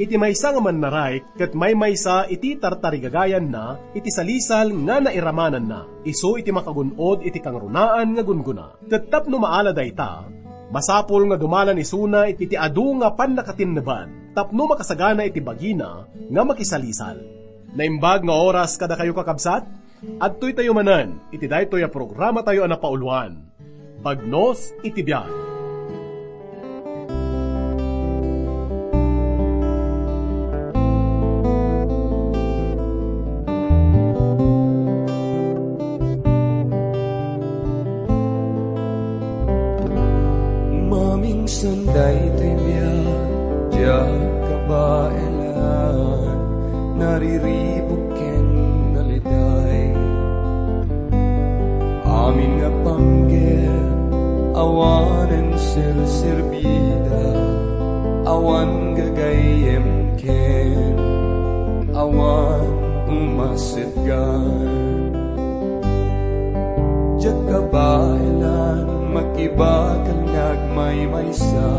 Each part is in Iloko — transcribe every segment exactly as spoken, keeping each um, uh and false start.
Iti maysa nga mannaraik ket maymaysa iti tartarigagayanna iti salisal nga nairamananna, isu iti makagun-od iti kangrunaan nga gunggona. Ket tapno maala dayta, masapul nga dumalan isuna iti adu nga pannakatinneban tapno makasagana iti bagina nga makisalisal. Naimbag nga oras kadakayo, kakabsat. Adtoytayo manen iti daytoy a programatayo a napauluan, Bagnos iti Biag. Mamingsan daytoy biag, diak kabaelan, nariribuk ken naliday. Amin nga panggep, awanen serserbida, awan gagayyem ken awan umasetgan. Diak kabaelan, makibakal nga agmaymaysa,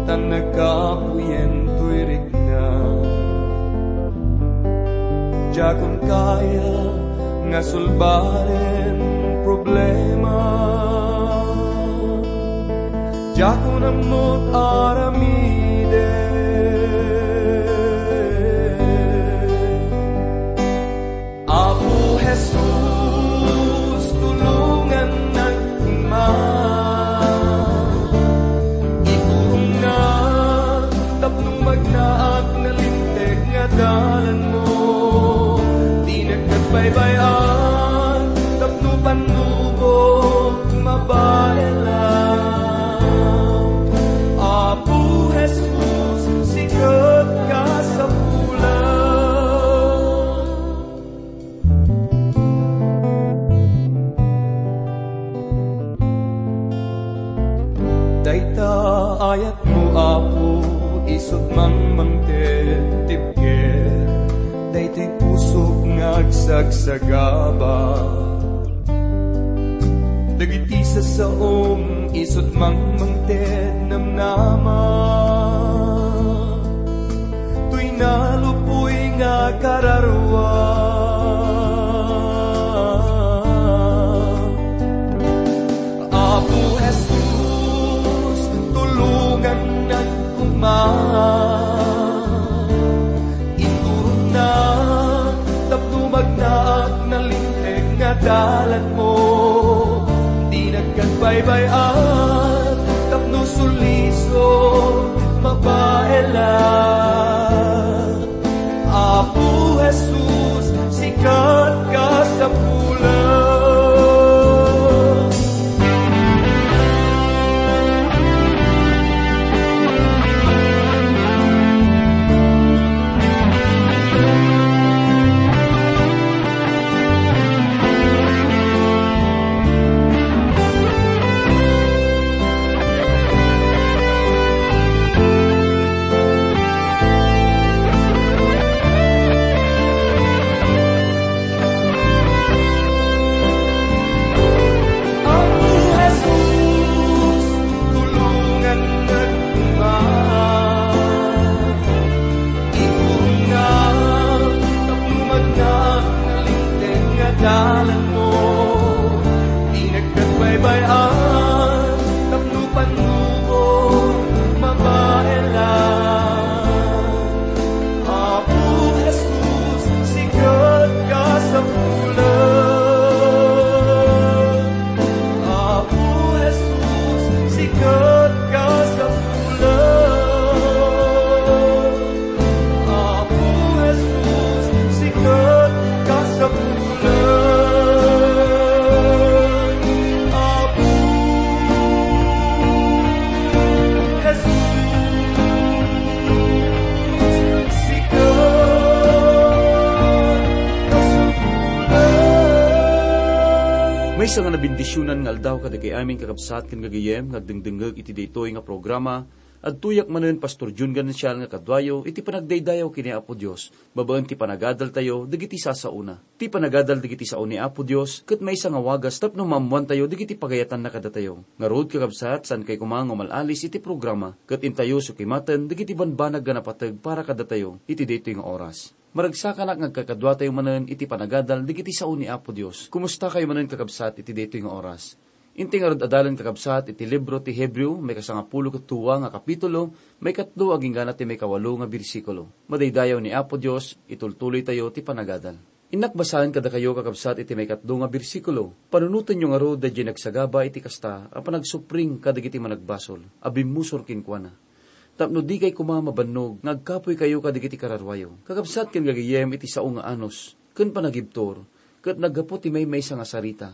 tan nagkapuyen toy rikna. Diakon kaya nga sulbaren problema. Diakon ammot aramiden. Apo Jesus, tulongannak koma. Iturongnak tapno magnaak nalinteg nga dalanmo. Dinak nagbaybay-an tapno pannubok mabaelan. Apo Jesus, sika ti kasapulan. Dayta ayatmo, Apo, isut' mangmangted ti ibker. Daytoy pusok nga agsagsagaba. Dagiti sasaom, isut' mangmangted namnama. Toy nalupoy nga kararua. Apo Jesus, tulongannak koma. Iturongnak tapno magnaak nalinteg nga dalanmo. Dinak nagbaybay-an tapno sulisok mabaelan. Apo Jesus, sika ti kasapulan. Apo Jesus, tulongannak koma. Iturongnak tapno magnaak nalinteg nga dalanmo. Dinak nagbaybay-an tapno pannubok mabaelan. Apo Jesus, sika ti kasapulan. Apo Jesus, sika ti kasapulan. Apo Jesus, sika ti kasapulan. Apo Jesus, sika ti kasapulan. Maysa nga nabendisionan nga aldaw kadagiti amin, kakabsat ken gagayyem nga agdengdengngeg iti daytoy nga programa, Adtoyak manen, Pastor Jun Ganencial, nga kaduayo iti panagdaydayaw ken ni Apo Dios babaen ti panagadaltayo dagiti sasaona. Ti panagadal dagiti sao ni Apo Dios ket maysa nga wagas tapno maammoantayo dagiti pagayatanna kadatayo. Ngarud, kakabsat, saankay koma nga umal-alis iti programa ket intayo sukimaten dagiti banbanag nga napateg para kadatayo iti daytoy nga oras. Maragsakanak nga agkakaduatayo manen iti panagadal dagiti sao ni Apo Dios. Kumustakayo manen, kakabsat, iti daytoy nga oras? Inti ngarud adalen, kakabsat, iti libro ti Hebreo, maikasangapulo ket dua nga kapitulo, maikatlo agingga ti maikawalo nga bersikulo. Madaydayaw ni Apo Dios, itultuloytayo ti panagadal. Innak basaen kadakayo, kakabsat, iti maikatlo nga bersikulo. Panunotenyo ngarud daydiay nagsagaba iti kasta a panagsupring kadagiti managbasol a bimmusor kenkuana, tapno dikay koma mabannog nga agkapoykayo kadagiti kararuayo. Kakabsat ken gagayyem, iti sao nga anus ken panagibtur ket naggapu ti maymaysa nga sarita,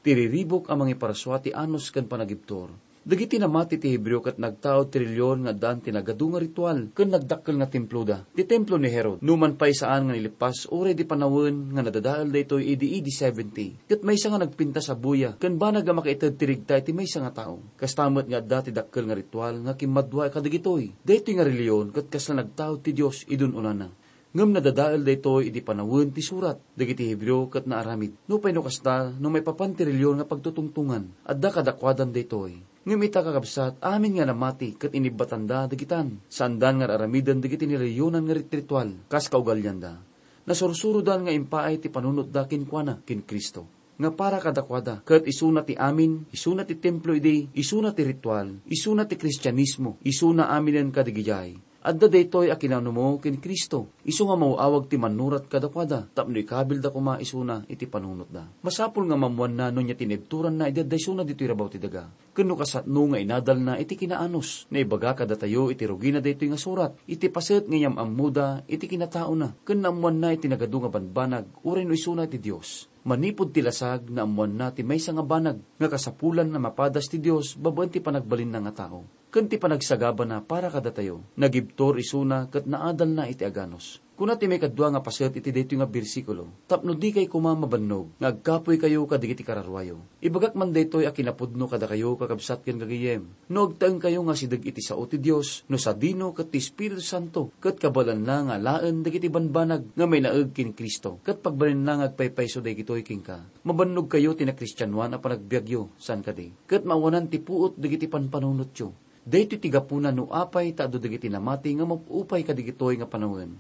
ti riribuk a mangiparsua ti anus ken panagibtur. Dagiti namati ti Hebreo ket nagtaud ti reliyon nga addaan ti nagadu nga ritual ken nagdakkel nga temploda, ti templo ni Herod. Numan pay, saan nga nilippas uray di panawen nga nadadael daytoy idi A D seventy, ket maysa nga nagpintas a buya ken banag a makaited ti regta iti maysa nga tao. Kasta met nga adda ti dakkel nga ritual nga kimmadua kadagitoy. Daytoy nga reliyon ket kasla nagtaud ti Dios idi un-unana. Ngem nadadael daytoy idi panawen ti surat. Dagiti Hebreo ket naaramid. Nupay no kasta, no maipapan ti reliyon nga pagtutungtongan, adda kadakuadan daytoy. Ngem ita, kakabsat, amin nga namati ket inibbatanda dagitan. Saandan nga ar-aramiden dagiti nireliyonan nga rit-, ritual kas kaugalianda. Nasursurodan nga impaay ti panunotda kenkuana, ken Cristo, nga para kadakuada. Ket isuna ti amin, isuna ti templo idi, isuna ti ritual, isuna ti Kristianismo, isuna aminen kadagidiay. Adda daytoy a kinanumo ken Cristo, isu nga maw-awag ti mannurat kadakuada, tapno ikabilda koma isuna iti panunotda. Masapul nga maammoanna no ania ti naibturanna idi adda isuna ditoy rabaw ti daga. Ken no kasatno nga inadalna iti kinaanus, naibaga kadatayo iti rugina daytoy nga surat, iti paset nga iyam-ammoda iti kinataona, ken naammoanna iti nagadu nga banbanag, uray no isuna ti Dios. Manipud ti lasag, naammoanna ti maysa nga banag nga kasapulan a mapadas ti Dios babaen ti panagbalinna nga tao ken ti panagsagabana para kadatayo. Nagibtur isuna ket naadalna iti aganus. Kuna ti maikadua nga paset iti daytoy nga bersikulo, "Tapno dikay koma mabannog nga agkapoykayo kadagiti kararuayo." Ibagak man daytoy a kinapudno kadakayo, kakabsat ken gagayyem. No agtaengkayo nga asideg iti sao ti Dios, no sadino ket ti Espiritu Santo, ket kabaelanna nga alaen dagiti banbanag nga mainaeg ken Cristo, ket pagbalinna nga agpaypayso dagitoy kenka, mabannogkayo ti nakristianoan a panagbiagyo, saan kadi? Ket maawanan ti puot dagiti panpanunotyo. Daytoy ti gapuna no apay ta adu dagiti namati nga map-upay kadagitoy nga panawen.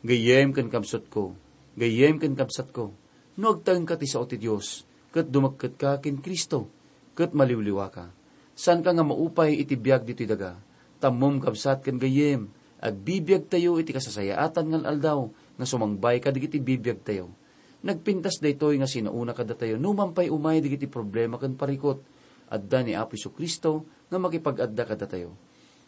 Gayyem ken kabsatko, gayyem ken kabsatko, no agtaengka ti sao ti Dios, ket dumekketka ken Cristo, ket maliwliwaka. Saanka nga maupay iti biag ditoy daga. Tammom, kabsat ken gayyem, agbibiagtayo iti kasasayaatan nga al-aldaw nga sumangbay kadagiti bibiagtayo. Nagpintas daytoy nga sinaona kadatayo, numan pay umay dagiti problema ken parikut. Adda ni Apo Jesu-Cristo nga makipag-adda kadatayo.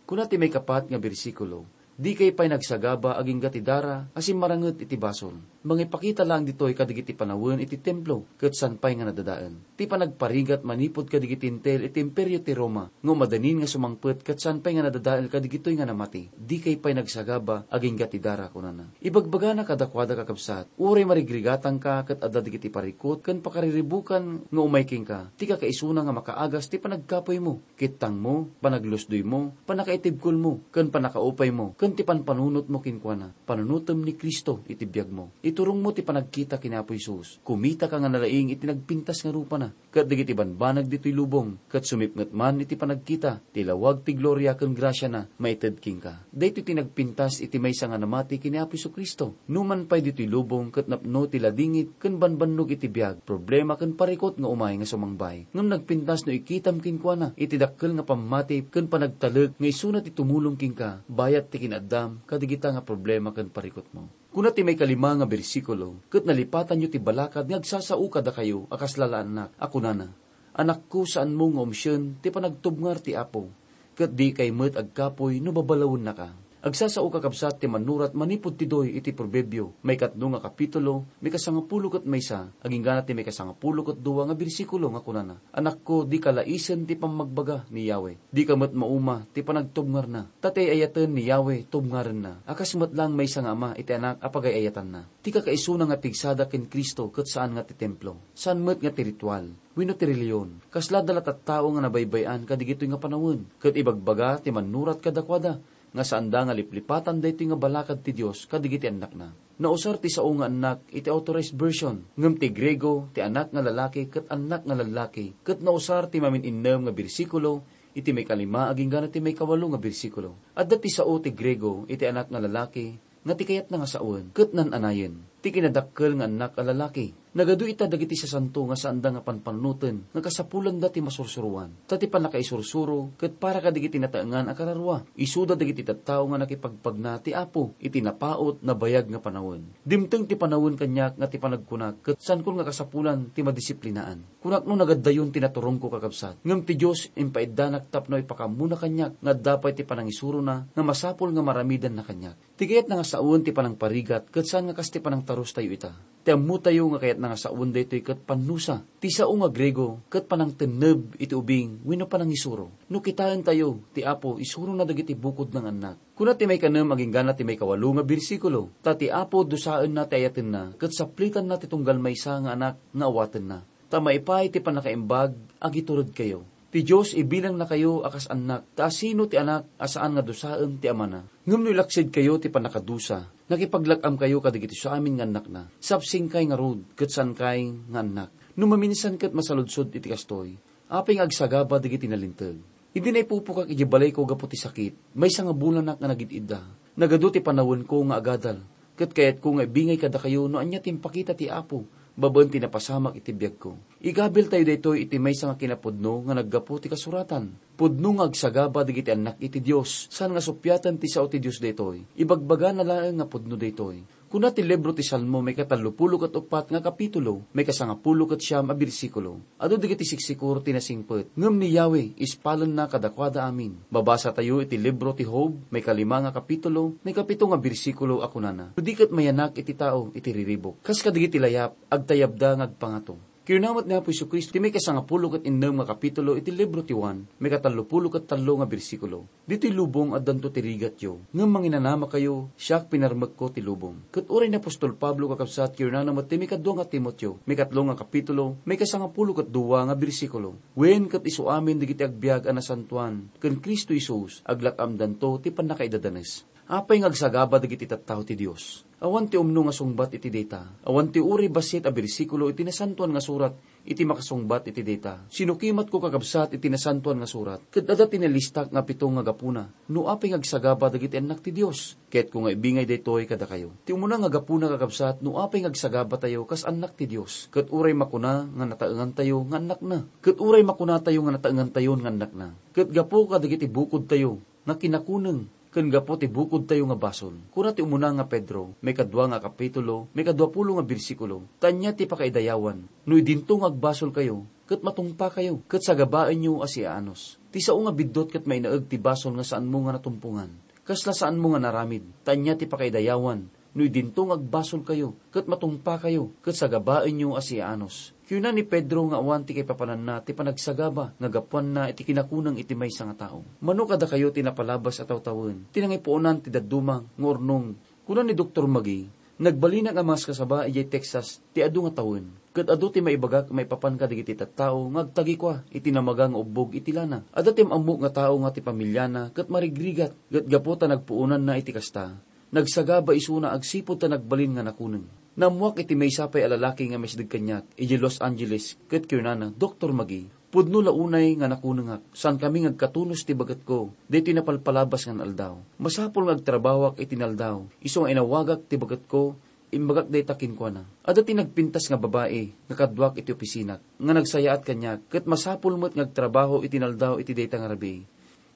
Kuna ti maikapat nga bersikulo, "Dikay pay nagsagaba agingga ti dara a simmaranget iti basol." Mangipakita laeng ditoy kadagiti panawen iti templo, ket saan pay nga nadadael. Ti panagparigat manipud kadagiti Hentil iti Imperio ti Roma, nga umadanin nga sumangpet ket saan pay nga nadadael kadagitoy nga namati. "Dikay pay nagsagaba agingga ti dara," kunana. Ibagbagana kadakuada, kakabsat, uray marigrigatangka ket adda dagiti parikut ken pakariribukan nga umay kenka, ti kakaisuna nga makaagas ti panagkapoymo, kittangmo, panaglusdoymo, pannakaitibkolmo, ken pannakaupaymo, ken ti panpanunotmo kenkuana. Panunotem ni Cristo iti biagmo. Iturongmo ti panagkita ken Apo Jesus. Kumitaka nga nalaing iti nagpintas nga rupana ket dagiti banbanag ditoy lubong, ket sumipnget man iti panagkita ti lawag ti gloria ken grasiana maited kenka. Daytoy ti nagpintas iti maysa nga namati ken ni Apo Jesu-Cristo. Numan pay ditoy lubong ket napno ti ladingit ken banbannog iti biag, problema ken parikut nga umay nga sumangbay. Ngem nagpintas no ikitam kenkuana iti dakkel nga pammati ken panagtalek nga isuna ti tumulong kenka bayat ti kinaaddam kadagita nga problema ken parikutmo. Kuna ti maikalima nga bersikulo, "Ket nalipatanyo ti balakad nga agsasao kadakayo a kas lalaannak, a kunana, 'Anakko, saanmo nga umsien ti panagtubngar ti Apo, ket dikay met agkapoy no babalawennaka.'" Agsasao, kakabsat, ti mannurat manipud ti doy iti Proverbio, maikatlo nga kapitulo, maikasangapulo ket maysa, aginggana ti maikasangapulo ket dua nga bersikulo nga kunana, "Anakko, dika laisen ti pammagbaga ni Yahweh. Dika met mauma ti panagtubngarna, ta ti ay-ayaten ni Yahweh tubngarenna, a kas met laeng maysa nga ama iti anak a pagay-ayatanna." Ti kakaisuna nga pigsada ken Cristo ket saan nga ti templo, saan met nga ti ritual wenno ti relihion. Kasla da la tattao nga nabaybay-an kadigitoy nga panawen, ket ibagbaga ti mannurat kadakuada nga saanda nga liplipatan daytoy nga balakad ti Dios kadigiti annakna. Nausar ti sao nga annak iti Authorized Version, ngem ti Griego ti anak nga lalaki ket annak nga lallaki, ket nausar ti mamin-innem nga bersikulo iti maikalima aginggana ti maikawalo nga bersikulo. Adda ti sao ti Griego iti anak nga lalaki nga ti kayatna nga sawen ket nan-anayen. Ti kinadakkel nga annak a lalaki. Nagadu ita dagiti sasanto nga saanda nga panpannunoten nga kasapulanda ti masursuroan. Ta ti pannakaisursuro ket para kadagiti nataengan a kararua. Isuda dagiti tattao nga nakipagpagna ti Apo iti napaut, nabayag nga panawen. Dimteng ti panawen kaniak nga ti panagkunak ket saanko nga kasapulan ti madisiplinaan. Kunak no nagaddayon ti naturongko, kakabsat. Ngem ti Dios impaiddanak tapno ipakaammona kaniak nga adda pay ti panangisurona nga masapul nga maramidanna kaniak. Ti kayatna nga sawen ti panangparigat ket saan nga kas ti panangtarustayo ita. Ti ammotayo nga kayatna nga sawen daytoy ket pannusa. Ti sao nga Griego ket panangtenneb iti ubing wenno panangisuro. No kitaentayo, ti Apo isurona dagiti bukodna nga annak. Kuna ti maikanem aginggana ti maikawalo nga bersikulo, "Ta ti Apo dusaenna ti ayatenna ket saplitanna ti tunggal maysa nga anak nga awatenna." Ta maipaay ti pannakaimbag, agituredkayo. Ti Dios ibilangnakayo a kas annak, ta asino ti anak a saan nga dusaen ti amana? Ngem no ilaksidkayo ti pannakadusa, nakipaglak-amkayo kadagiti amin nga annakna. Sapsingkay ngarud, ket saankay nga annak. No maminsan ket masaludsod iti kastoy, apay nga agsagaba dagiti nalinteg? Idi naipupukak idiay balayko gapu ti sakit, maysa nga bulanak nga nagid-idda. Nagadu ti panawenko nga agadal, ket kayatko nga ibingay kadakayo no ania ti impakita ti Apo babaen ti napasamak iti biagko. Igabiltayo daytoy iti maysa nga kinapudno nga naggapu ti kasuratan. Pudno nga agsagaba dagiti annak iti Dios, saan nga suppiaten ti sao ti Dios daytoy. Ibagbagana laeng nga pudno daytoy. Kuna ti libro ti Salmo, maikatallopulo ket uppat nga kapitulo, maikasangapulo ket siam a bersikulo, "Adu dagiti siksikor ti nasingpet, ngem ni Yahweh ispalenna kadakuada amin." Mabasatayo iti libro ti Job, maikalima nga kapitulo, maikapito nga bersikulo a kunana, "No di ket mayanak iti tao iti riribuk, kas kadagiti layap, agtayabda nga agpangato." Kinuna met ni Apo Jesu-Cristo, ti maikasangapulo ket innem nga kapitulo iti libro ti Juan, maikatallopulo ket tallo nga bersikulo, "Ditoy lubong addanto ti rigatyo, ngem manginanamakayo, siak pinarmekko ti lubong." Ket uray ni apostol Pablo, kakabsat, kinunana met ti maikadua nga Timoteo, maikatlo nga kapitulo, maikasangapulo ket dua nga bersikulo, "Wen ket isu amin dagiti agbiag a nasantoan ken Cristo Jesus, aglak-amdanto ti pannakaidadanes." Apay nga agsagaba dagiti tattao ti Dios? Awan ti umno nga sungbat iti dayta. Awan ti uray bassit a bersikulo iti Nasantoan nga Surat iti makasungbat iti dayta. Sinukimatko, kakabsat, iti Nasantoan nga Surat, ket adda ti nalistak nga pito nga gapuna no apay nga agsagaba dagiti annak ti Dios. Kayatko nga ibingay daytoy kadakayo. Ti umuna nga gapuna, kakabsat, no apay nga agsagabatayo kas annak ti Dios, ket uray makuna nga nataengantayo nga annakna, ket uray makunatayo nga nataengantayon nga annakna, ket gapu kadagiti bukodtayo nga kinakuneng, ken gapu ti bukodtayo nga basol. Kuna ti umuna nga Pedro, maikadua nga kapitulo, maikaduapulo nga bersikulo, "Ta ania ti pakaidayawan, no idinto nga agbasolkayo, ket matungpakayo, ket sagabaenyo a siaanus?" Ti sao nga biddut ket mainaeg ti basol nga saanmo nga natumpongan. Kasla saanmo nga naramid, ta ania ti pakaidayawan, no idinto nga agbasolkayo, ket matungpakayo, ket sagabaenyo a siaanus. Kinuna ni Pedro nga awan ti kaipapananna ti panagsagaba nga gapuanna iti kinakuneng iti maysa nga tao. Mano kadakayo ti napalabas a tawtawen ti nangipuonan ti dadduma nga urnong. Kuna ni Doktor Magee, "Nagbalinak a maskasaba idiay Texas ti adu nga tawen, ket adu ti maibagak maipapan kadagiti tattao nga agtagikua iti namaga nga ubbog iti lana. Adda ti am-ammok nga tao nga ti pamiliana ket marigrigat, ket gapu ta nagpuonanna iti kasta, nagsagaba isuna agsipud ta nagbalin nga nakuneng." Naammoak iti maysa pay a lalaki nga maisideg kaniak idiay Los Angeles ket kinunana, "Doktor Magee, pudno la unay nga nakunengak. Saankami nga agkatunos ti bagetko daytoy napalpalabas nga aldaw. Masapul nga agtrabahoak iti naldaw. Isu nga inawagak ti bagetko, imbagak dayta kenkuana. Adda ti nagpintas nga babai nga kaduak iti opisinak nga nagsayaat kaniak, ket masapul met nga agtrabaho iti naldaw iti dayta nga rabii."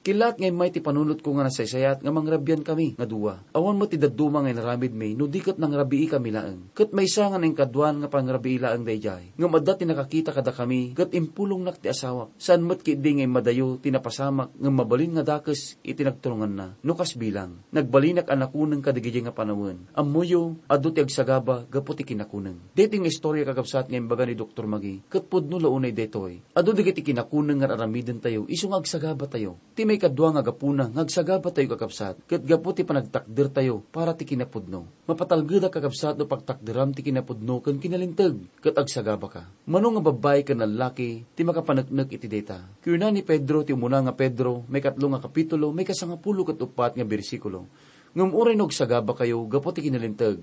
Kilaat nga immay ti panunotko nga nasaysayat nga mangrabiankami nga dua. Awan met ti dadduma nga inaramidmi no di ket nangrabiikami laeng. Ket maysa nga nainkaduan nga pangrabii laeng daydiay. Ngem adda ti nakakita kadakami ket impulongnak ti asawak. Saan met ketdi nga immadayo ti napasamak ngem mabalin nga dakes iti nagturunganna. No kas bilang, nagbalinak a nakuneng kadagidiay nga panawen. Ammoyo, adu ti agsagaba gapu ti kinakuneng. Daytoy nga istorya, kakabsat, nga imbaga ni Doktor Magee ket pudno la unay daytoy. Adu dagiti kinakuneng nga ar-aramidentayo isu nga agsagabatayo. Ti maikadua nga gapuna nga agsagabatayo, kakabsat, ket gapu ti panagtakdertayo para ti kinapudno. Mapatalgedak, kakabsat, no pagtakderam ti kinapudno ken kinalinteg, ket agsagabaka. Mano nga babbai ken lallaki ti makapaneknek iti dayta? Kuna ni Pedro, ti umuna nga Pedro, maikatlo nga kapitulo, maikasangapulo ket uppat nga bersikulo, "Ngem uray no agsagabakayo gapu ti kinalinteg,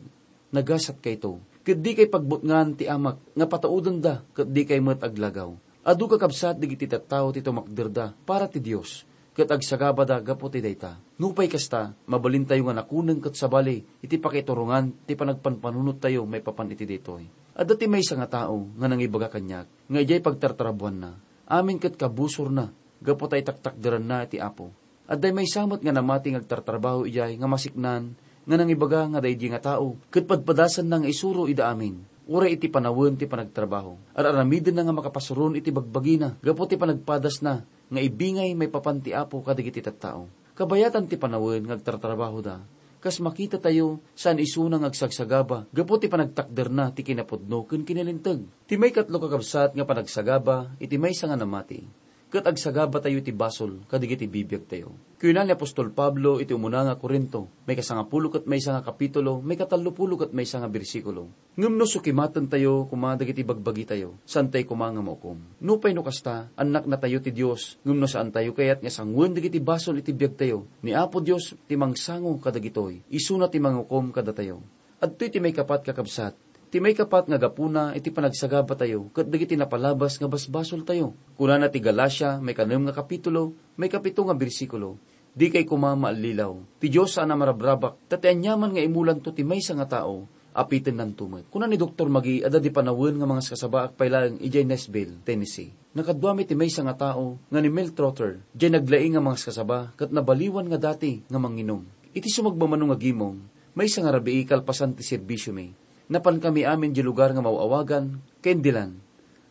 nagasatkayto. Ket dikay pagbutngan ti Amak nga pataudenda ket dikay met aglagaw." Adu, kakabsat, dagiti tattao ti tumakderda para ti Dios, ket agsagabada gapu ti dayta. Nupay kasta, mabalintayo nga nakuneng ket sabali iti pakiturongan ti panagpanpanunottayo maipapan iti daytoy. Adda ti maysa nga tao nga nangibaga kaniak nga idiay pagtartrabuanna, amin ket kabusorna gapu ta itaktakderanna ti Apo. Adda maysa met nga namati nga agtartrabaho idiay nga masiknan nga nangibaga nga daydi nga tao ket padpadasanna nga isuro ida amin, uray iti panawen ti panagtrabaho. Ar-aramidenna nga makapasuron iti bagbagina gapu ti panagpadasna nga ibingay maipapan ti Apo kadagiti tattao. Kabayatan ti panawen nga agtartrabahoda, kas makitatayo, saan isuna nga agsagsagaba gapu ti panagtakderna ti kinapudno ken kinalinteg. Ti maikatlo, kakabsat, nga panagsagaba iti maysa nga namati, ket agsagabatayo iti basol kadagiti bibiagtayo. Kuna ni apostol Pablo iti umuna nga Corinto, maikasangapulo ket maysa nga kapitulo, maikatallopulo ket maysa nga bersikulo, "Ngem no sukimatentayo koma dagiti bagbagitayo, saantayo koma nga maukom. Nupay no kasta, annaknatayo ti Dios, ngem no saantayo kayat nga sangoen dagiti basol iti biagtayo, ni Apo Dios ti mangsango kadagitoy, isuna ti mangukom kadatayo." Adtoy ti maikapat, kakabsat. Ti maikapat nga gapuna iti panagsagabatayo ket dagiti napalabas nga basbasoltayo. Kunana ti Galacia, maikanem nga kapitulo, maikapito nga bersikulo, "Dikay koma maallilaw. Ti Dios saan a marabrabak, ta ti aniaman nga imulanto ti maysa nga tao, apitennanto met." Kuna ni Doktor Magee, adda di panawen nga mangaskasabaak pay laeng idiay Nashville, Tennessee. Nakaduami ti maysa nga tao nga ni Mel Trotter, diay naglaing nga mangaskasaba ket nabaliwan nga dati nga manginum. Iti sumagmamano nga gimong, maysa nga rabii kalpasan ti serbisiomi, napankami amin diay lugar nga maaw-awagan Candyland.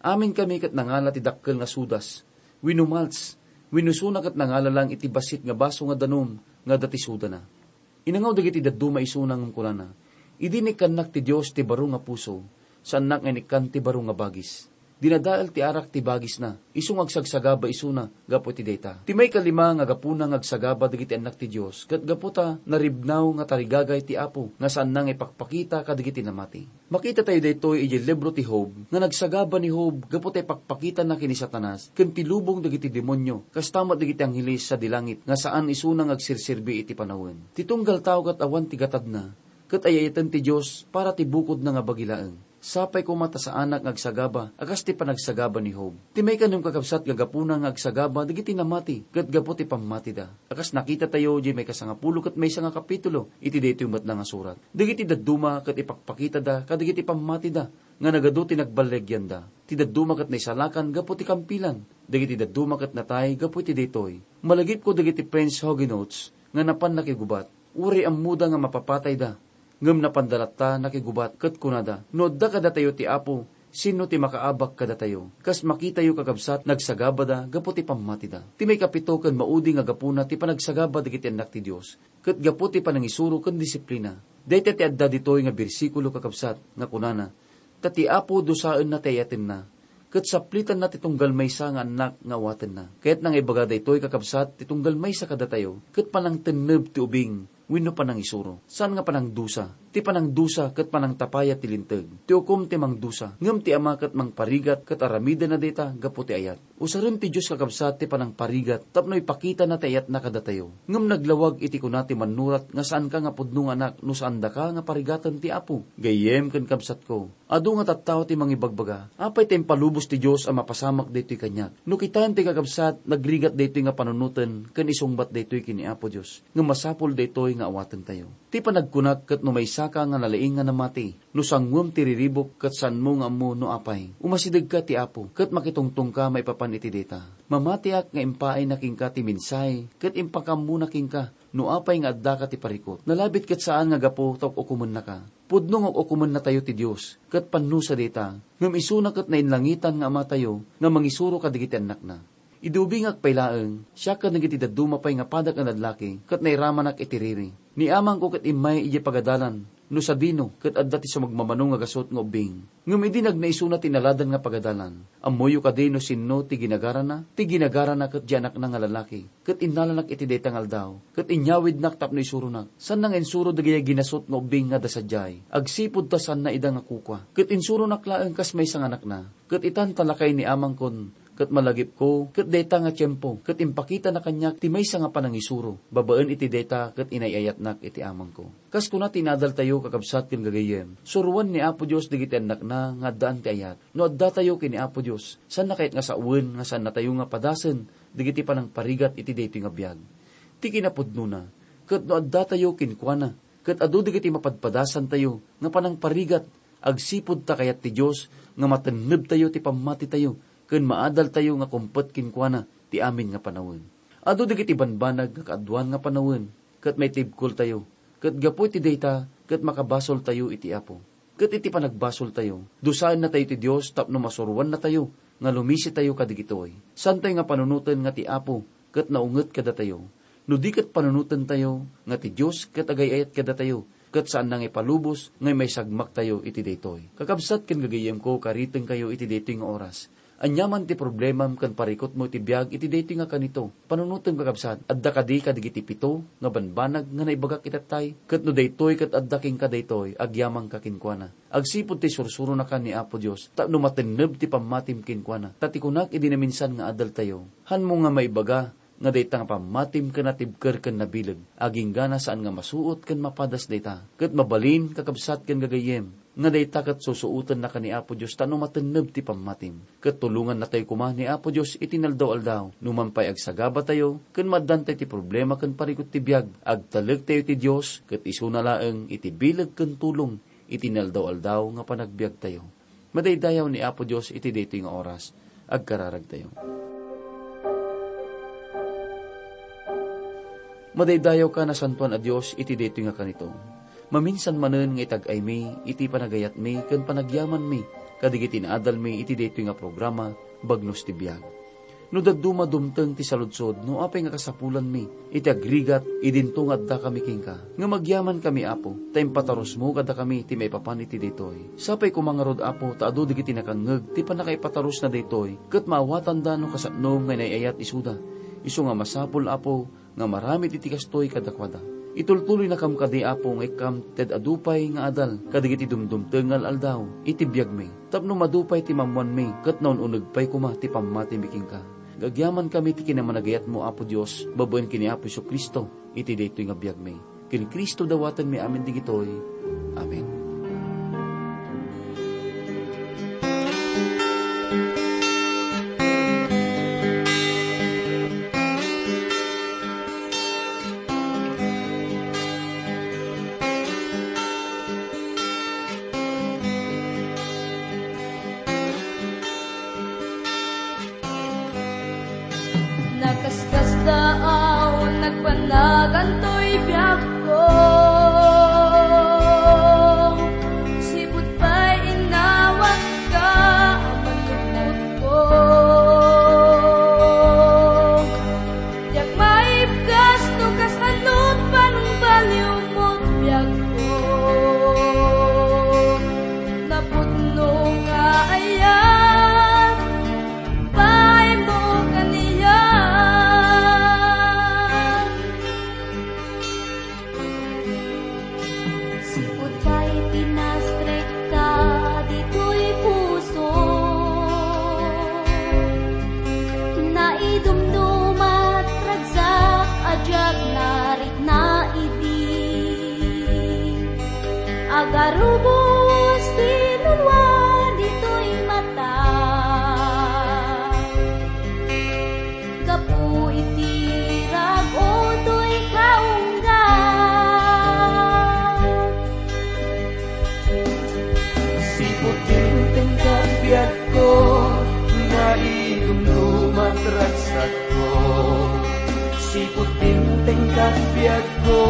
Aminkami ket nangala ti dakkel nga sodas wenno malts, wenno isuna ket nangala lang iti bassit nga baso nga danum nga adda ti sodana. Inangaw dagiti dadduma isuna ngem kunana, "Idi inikkannak ti Dios ti baro nga puso, saannak nga inikkan ti baro nga bagis." Dinadael ti arak ti bagisna, isu nga agsagsagaba isuna gapu iti dayta. Ti maikalima nga gapuna nga agsagaba dagiti annak ti Dios, ket gapu ta naribnaw nga tarigagay ti Apo nga saanna nga ipakpakita kadagiti namati. Makitatayo daytoy idiay libro ti Job, nga nagsagaba ni Job gapu ta ipakpakitana ken ni Satanas ken ti lubong dagiti demonio, kasta met dagiti angheles sadi langit nga saan isuna nga agserserbi iti panawen. Ti tunggal tao ket awan ti gatadna, ket ay-ayaten ti Dios para ti bukodna nga bagi laeng. Sapay koma ta saanak nga agsagaba a kas ti panagsagaba ni Job. Ti maikanem, kakabsat, nga gapuna nga agsagaba dagiti namati ket gapu ti pammatida. A kas nakitatayo diay maikasangapulo ket maysa nga kapitulo iti daytoy met nga surat, dagiti dadduma ket ipakpakitada kadagiti pammatida nga nagadu ti nagballiagyanda. Ti dadduma ket naisalakan gapu ti kampilan. Dagiti dadduma ket natay gapu iti daytoy. Malagipko dagiti French Huguenots nga napan nakigubat. Uray ammoda nga mapapatayda, ngem napanda latta nakigubat ket kunada, "No adda kadatayo ti Apo, sinno ti makaabak kadatayo?" Kas makitayo, kakabsat, nagsagabada gapu ti pammatida. Ti maikapito ken maudi nga gapuna ti panagsagaba dagiti annak ti Dios, ket gapu ti panangisuro ken disiplina. Dayta ti adda ditoy nga bersikulo, kakabsat, nga kunana, "Ta ti Apo dusaenna ti ayatenna, ket saplitanna ti tunggal maysa nga annak nga awatenna." Kayatna nga ibaga daytoy, kakabsat, ti tunggal maysa kadatayo, ket panangtenneb ti ubing wenno panangisuro. Saan nga panangdusa. Ti panangdusa ket panangtapayat ti linteg. Ti ukom ti mangdusa, ngem ti Ama ket mangparigat ket aramidenna dayta gapu ti ayat. Usaren ti Dios, kakabsat, ti panangparigat tapno ipakitana ti ayatna kadatayo. Ngem naglawag iti kuna ti mannurat nga saanka nga pudno nga anak no saandaka nga parigaten ti Apo. Gayyem ken kabsatko, adu nga tattao ti mangibagbaga, "Apay ta impalubos ti Dios a mapasamak daytoy kaniak?" No kitaem ti kakabsat, nagrigat daytoy nga panunoten ken isungbat daytoy ken ni Apo Dios. Ngem masapul daytoy nga awatentayo. Ti panagkunak ket no maysa Saka nga nalaing nga namati, no sanguem ti riribuk ket saanmo nga ammo no apay. Umasidegka ti Apo, ket makitungtongka maipapan iti dayta. Mamatiak nga impaayna kenka ti mensahe, ket impakammona kenka no apay nga addaka ti parikut. Nalabit ket saan nga gapu ta uk-ukomennaka. Pudno nga uk-ukomennatayo ti Dios, ket pannusa dayta, ngem isuna ket nainlangitan nga Amatayo nga mangisuro kadagiti annakna. Idi ubingak pay laeng, siak ken dagiti dadduma pay nga padak a lallaki, ket nairamanak iti riri. Ni amangko ket immay idiay pagadalan, no sadino, ket adda ti sumagmamano nga gasut nga ubbing. Ngem idi nagnaisuna ti naladan nga pagadalan, ammoyo kadi no sinno ti ginagarana? Ti ginagarana ket di anakna nga lalaki, ket innalanak iti dayta nga aldaw, ket inyawidnak tapno isuronak. Saanna nga insuro dagiti ginasut nga ubbing nga adda sadiay, agsipud ta saanna ida nga kukua. Ket insuronak laeng kas maysa nga anakna. Ket itan ta lakay ni amangkon, ket malagipko, ket dayta nga tiempo, ket impakitana kaniak ti maysa nga panangisuro. Babaen iti dayta, ket inay-ayatnak iti amangko. Kas kuna ti inadaltayo, kakabsat ken gagayyem, suroen ni Apo Dios dagiti annakna nga addaan ti ayat. No addatayo ken ni Apo Dios, saanna kayat nga sawen nga saannatayo nga padasen dagiti panangparigat iti daytoy nga biag? Ti kinapudnona, ket no addatayo kenkuana, ket adu dagiti mapadpadasantayo nga panangparigat, agsipud ta kayat ti Dios nga matennebtayo ti pammatitayo ken maadaltayo nga kumpet kenkuana ti amin nga panawen. Adu dagiti banbanag nga kaaduan nga panawen ket maitibkoltayo, ket gapu iti dayta ket makabasoltayo iti Apo. Ket iti panagbasoltayo, dusaennatayo ti Dios tapno masuroannatayo nga lumisitayo kadagitoy. Saantayo nga panunoten nga ti Apo ket naunget kadatayo. No di ket panunotentayo nga ti Dios ket agay-ayat kadatayo, ket saanna nga ipalubos nga maisagmaktayo iti daytoy. Kakabsat ken gagayyemko, karitengkayo iti daytoy nga oras. Aniaman ti problemam ken parikutmo iti biag iti daytoy nga kanito. Panunotem, kakabsat, adda kadi kadagiti pito nga banbanag nga naibagak itattay? Ket no daytoy ket adda kenka daytoy, agyamanka kenkuana. Agsipud ti sursuronaka ni Apo Dios, tapno matenneb ti pammatim kenkuana. Ta ti kunak idi naminsan nga adaltayo, hanmo nga maibaga nga dayta nga pammatim ket natibker ken nabileg, aginggana saan nga masuot ken mapadas dayta. Ket mabalin, kakabsat ken gagayyem, nga dayta ket susuotennaka ni Apo Dios tapno matenneb ti pammatim. Ket tulongannatayo koma ni Apo Dios iti inaldaw-aldaw. Numan pay agsagabatayo ken maaddantay ti problema ken parikut ti biag, agtalektayo iti Dios, ket isuna laeng iti bileg ken tulong iti inaldaw-aldaw nga panagbiagtayo. Madaydayaw ni Apo Dios iti daytoy nga oras. Agkararagtayo. Madaydayawka, nasantoan a Dios, iti daytoy nga kanito. Maminsan manen nga itag-aymi iti panagayatmi ken panagyamanmi kadagiti naadalmi iti daytoy nga programa, Bagnos ti Biag. No dadduma, dumteng ti saludsod no apay nga kasapulanmi iti agrigat idinto nga addakami kenka. Ngem agyamankami, Apo, ta impatarusmo kadakami ti maipapan iti daytoy. Sapay koma ngarud, Apo, ta adu dagiti nakangngeg ti pannakaipatarusna daytoy, ket maawatanda no kasano nga inay-ayat isuda. Isu nga masapul, Apo, nga maramid iti kastoy kadakuada. Itultuloynakam kadi, Apo, nga ikkam ti ad-adu pay nga adal kadagiti dumdumteng nga al-aldaw iti biagmi, tapno madu pay ti maammoanmi ket naun-uneg pay koma ti pammatimi kenka. Agyamankami ti kinamanagayatmo, Apo Dios, babaen ken ni Apo Jesu-Cristo iti daytoy nga biagmi. Ken Cristo dawatenmi amin digitoy. Amen. Nakaskasdaaw, nagpanagan toy biagko. Sipud pay inawat ka a manlukotko. Diak maibgas no kasano ti panungbaliwmo ti biagko. Napudno nga ayat, baaymo kaniak. Naidumdumat ragsakko, sipud dimteng kat biagko,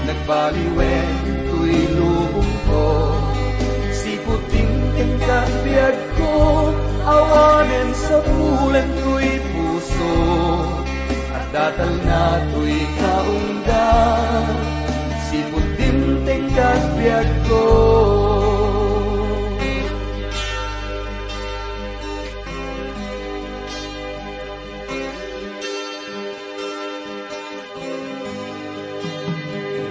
nagbaliwen toy lubongko. Sipud dimteng kat biagko, awanen sapulen toy puso, adda talna toy kaungga. Sipud dimteng kat biagko.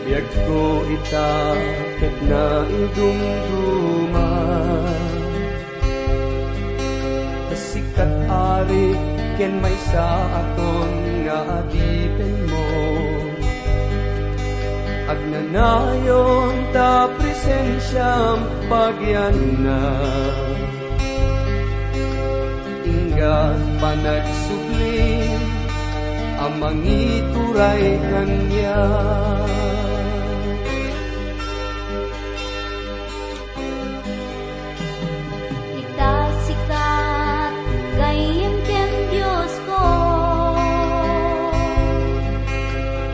Biagko ita ket naidumduma. Ta sika, Ari, ken maysa a ton nga adipenmo. Agnanayon ta presensiam pagianna. Inggad panagsublim a mangituray kaniak. Ita sika, gayyem ken Diosko,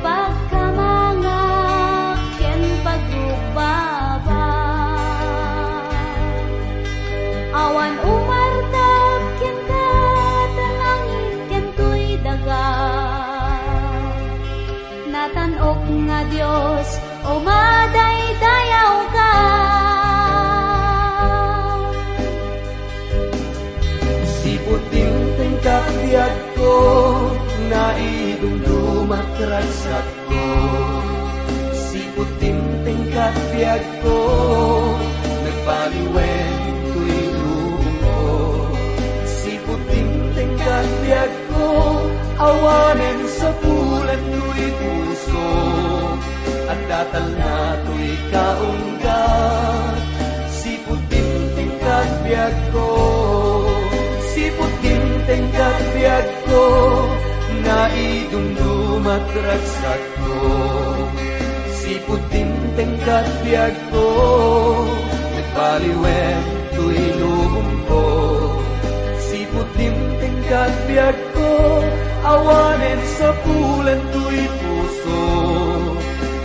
pagkamangak ken pagrukbabak. Awan umartab kenka ta langit ken toy daga. Natan-ok nga Dios, umadaydayawka. Sipud dimteng kat biagko, naidumdumat ragsakko. Sipud dimteng kat biagko, nagbaliwen toy lubongko. Sipud dimteng kat biagko, awanen sapulen toy puso, adda talna toy kaungga. Sipud dimteng kat biagko, sipud dimteng kat biagko, naidumdumat ragsakko. Sipud dimteng kat biagko, nagbaliwen toy lubongko. Sipud dimteng kat biagko, awanen sapulen toy puso,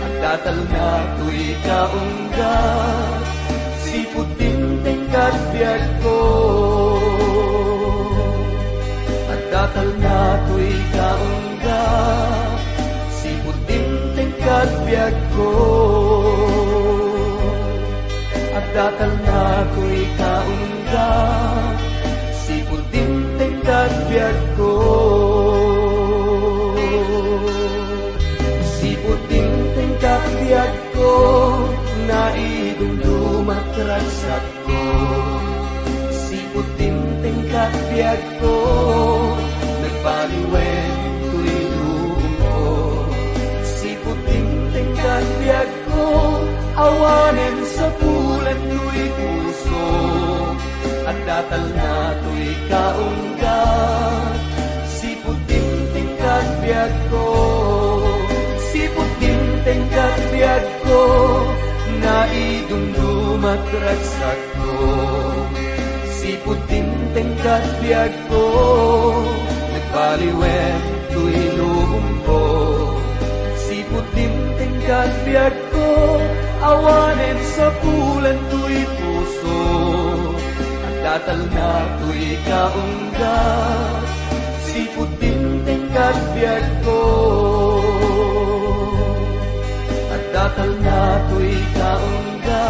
adda talna toy kaungga. Sipud dimteng kat biagko, adda talna toy kaungga. Sipud dimteng kat biagko, adda talna toy kaungga. Sipud dimteng kat biagko, sipud dimteng kat biagko, naidumdumat ragsakko. Sipud dimteng kat biagko, nagbaliwen toy lubongko. Sipud dimteng kat biagko, awanen sapulen toy puso, adda talna toy kaungga. Sipud dimteng kat biagko, sipud dimteng kat biagko, naidumdumat ragsakko. Sipud dimteng kat biagko, nagbaliwen toy lubongko. Sipud dimteng kat biagko, awanen sapulen toy puso, adda talna toy kaungga. Sipud dimteng kat biagko, adda talna toy kaungga.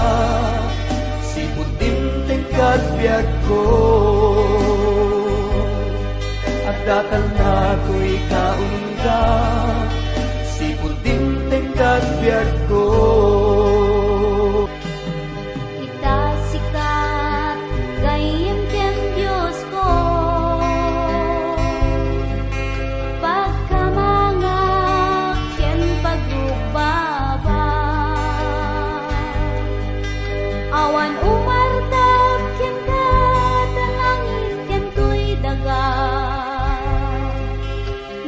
Sipud dimteng kat biagko, adda talna toy kaungga. Sipud dimteng kat biagko. Ita sika, gayyem ken Diosko, pagkamangak ken pagrukbabak. Awan umartab kenka ta langit ken toy daga.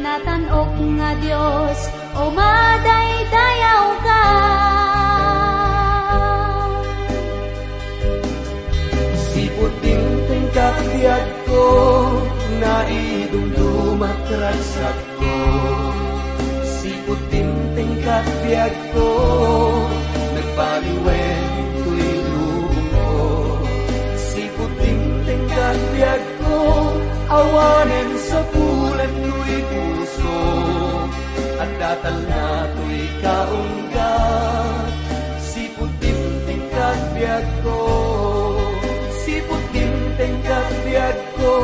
Natan-ok nga Dios, umadaydayawka. Ko, naidumdumat ragsakko. Sipud dimteng kat biagko, nagbaliwen toy lubongko. Sipud dimteng kat biagko, awanen sapulan toy puso. Adda talna toy kaunggat. Sipud dimteng kat biagko, sipud dimteng kat biagko,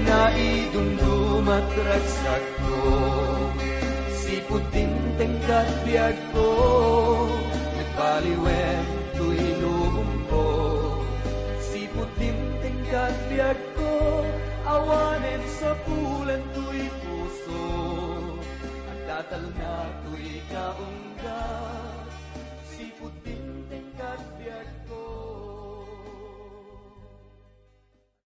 naidumdumat ragsakko. Sipud dimteng kat biagko, nagbaliwen toy lubongko. Sipud dimteng kat biagko, awanen sapulan toy puso. Adda talna toy kaunggat. Sipud dimteng kat biag